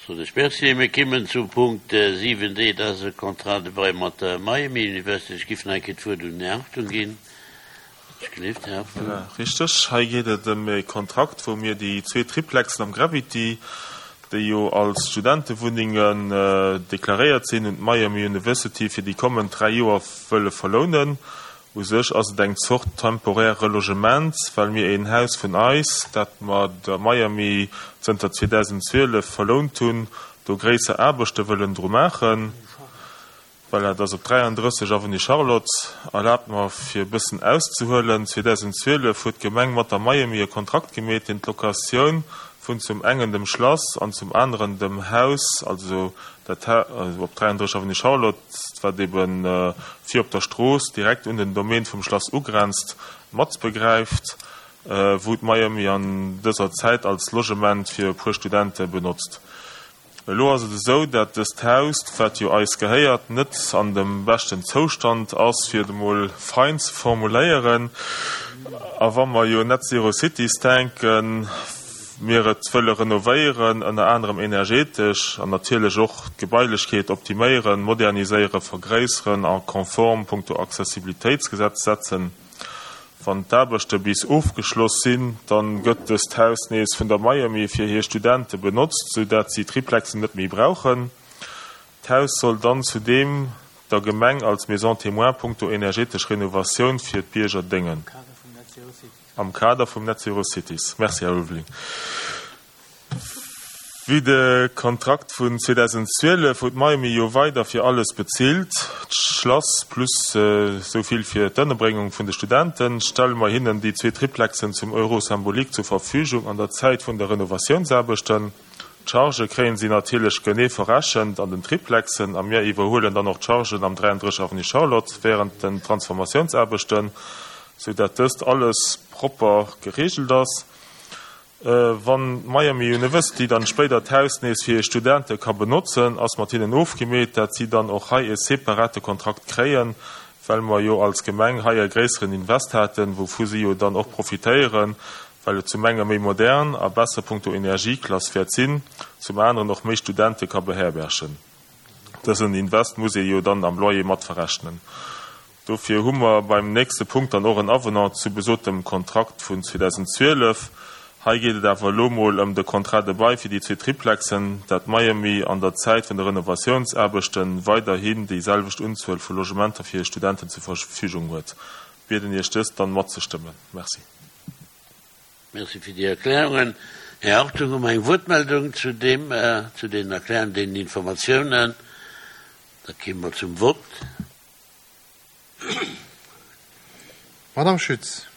Soen ech Merci. Mir kimmen zum Punkt 7d, dat ass e Contrat de bail mat der Miami University. Ech giff nach eng Kéier d'Wuert un den Här Hartung ginn. Ech gleeft, Här Hartung. Voilà, richteg. Hei geet et ëm e Kontrakt, wou mir déi zwee Triplexen am Gravity, déi jo als Studentewunnengen deklaréiert sinn, un d'Miami University fir déi kommend dräi Joer wëlle verlounen. U sech ass et eng Zort temporaire Relogement, well mir een Haus vun eis, dat mer der Miami zënter 2012 verlount hunn, do gréisser Aarbechte wëllen dru maachen. Voilà, dat ass op 33, Avenue Charlotte. Erlaabt mer, fir e bëssen auszehuelen, 2012 huet d'Gemeng mat der Miami e Kontrakt gemeet, deen d'Locatioun vun zum engen dem Schlass an zum aneren dem Haus, also dat Haus op 33, Avenue Charlotte, wat ebe vir op der Strooss direkt un den Domaine vum Schlass ugrenzt, matbegräift, wou d'Miami an dëser Zäit als Logement fir e puer Studente benotzt. Elo ass et esou, dat dëst Haus, wat jo eis gehéiert, net an dem beschten Zoustand ass, fir et emol fein ze formuléieren. A wa mer jo Net Zero Cities denken, mir et wëlle renovéieren, ënner anerem energetesch, an natierlech och d'Gebailechkeet optiméieren, moderniséieren, vergréisseren a konform punkto Accessibilitéitsgesetz setzen. Wann d'Aarbechte bis ofgeschloss sinn, dann gëtt dëst Haus nees vun der Miami fir hir Studente benotzt, sou dat si d'Triplexen net méi brauchen. D'Haus soll dann zudeem der Gemeng als Maison témoin punkto energetesch Renovatioun fir d'Bierger déngen. Am Kader vum Net Zero Cities. Merci, Här Ulveling. Wéi de Kontrakt vun 2012, wou d'Miami jo weider fir alles bezilt, d'Schlass plus esou vill fir d'Ënnerbréngung vun de Studenten, stelle mer hinnen déi zwee Triplexen zum Euro symbolique zur Verfügung an der Zäit vun de Renovatiounsaarbechten. D'Chargë kréien si natierlech genee verrechent an den Triplexen a mir iwwerhuelen dann och d'Chargen am 33 Avenue Charlotte während den Transformatiounsaarbechten, sou dat dëst alles propper geregelt ass. Wann d'Miami University dann spéider d'Haus nees fir hir Studente ka benotzen, ass mat hinnen ofgemeet, dat si dann och hei e separate Kontrakt kréien, well mer jo als Gemeng hei e gréisseren Invest haten, wouvu si jo dann och profitéieren, well et zum enge méi modern a besser punkto Energieklass wäert sinn, zum aneren och méi Studente ka beherbergen. Dësen Invest muss ee jo dann am Loyer mat verrechnen. Dofir hu mer beim nächste Punkt dann och en Avenant zu besotem Kontrakt vun 2012. Hei geet et awer elo mol ëm de Contrat de bail fir déi zwee Triplexen, dat Miami an der Zäit vun de Renovatiounsaarbechte weiderhin déi selwecht Unzuel vu Logementer fir hir Studenten zur Verfügung huet. Bieden Iech dëst dann matzestëmmen. Merci. Merci fir déi Erklärungen. Här Hartung, hu mer eng Wuertmeldung zu deem, zu deenen Erklärungen, deenen Informatiounen? Da kéime mer zum Vott. Madame Schütz.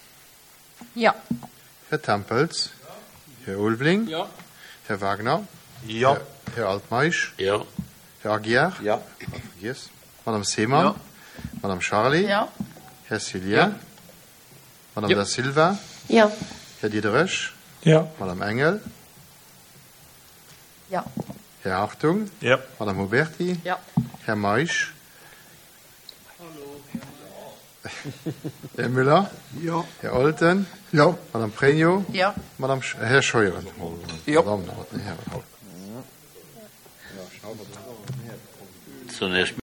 Jo. Här Tempels. Här Ulveling. Jo. Här Wagner. Jo. Här Altmeisch. Jo. Här Aguiar. Jo. Vergiess. Madame Seemann. Jo. Madame Charlé. Jo. Här Cillien. Jo. Madame Da Silva. Jo. Här Diderich. Jo. Madame Engel. Jo. Här Hartung. Jo. Madame Huberti. Jo. Här Meisch. Här Müller. Jo. Här Olten. Jo. Madame Pregno. Jo. Madame, Här Scheuren. Jo. Madame, Här. So, Här.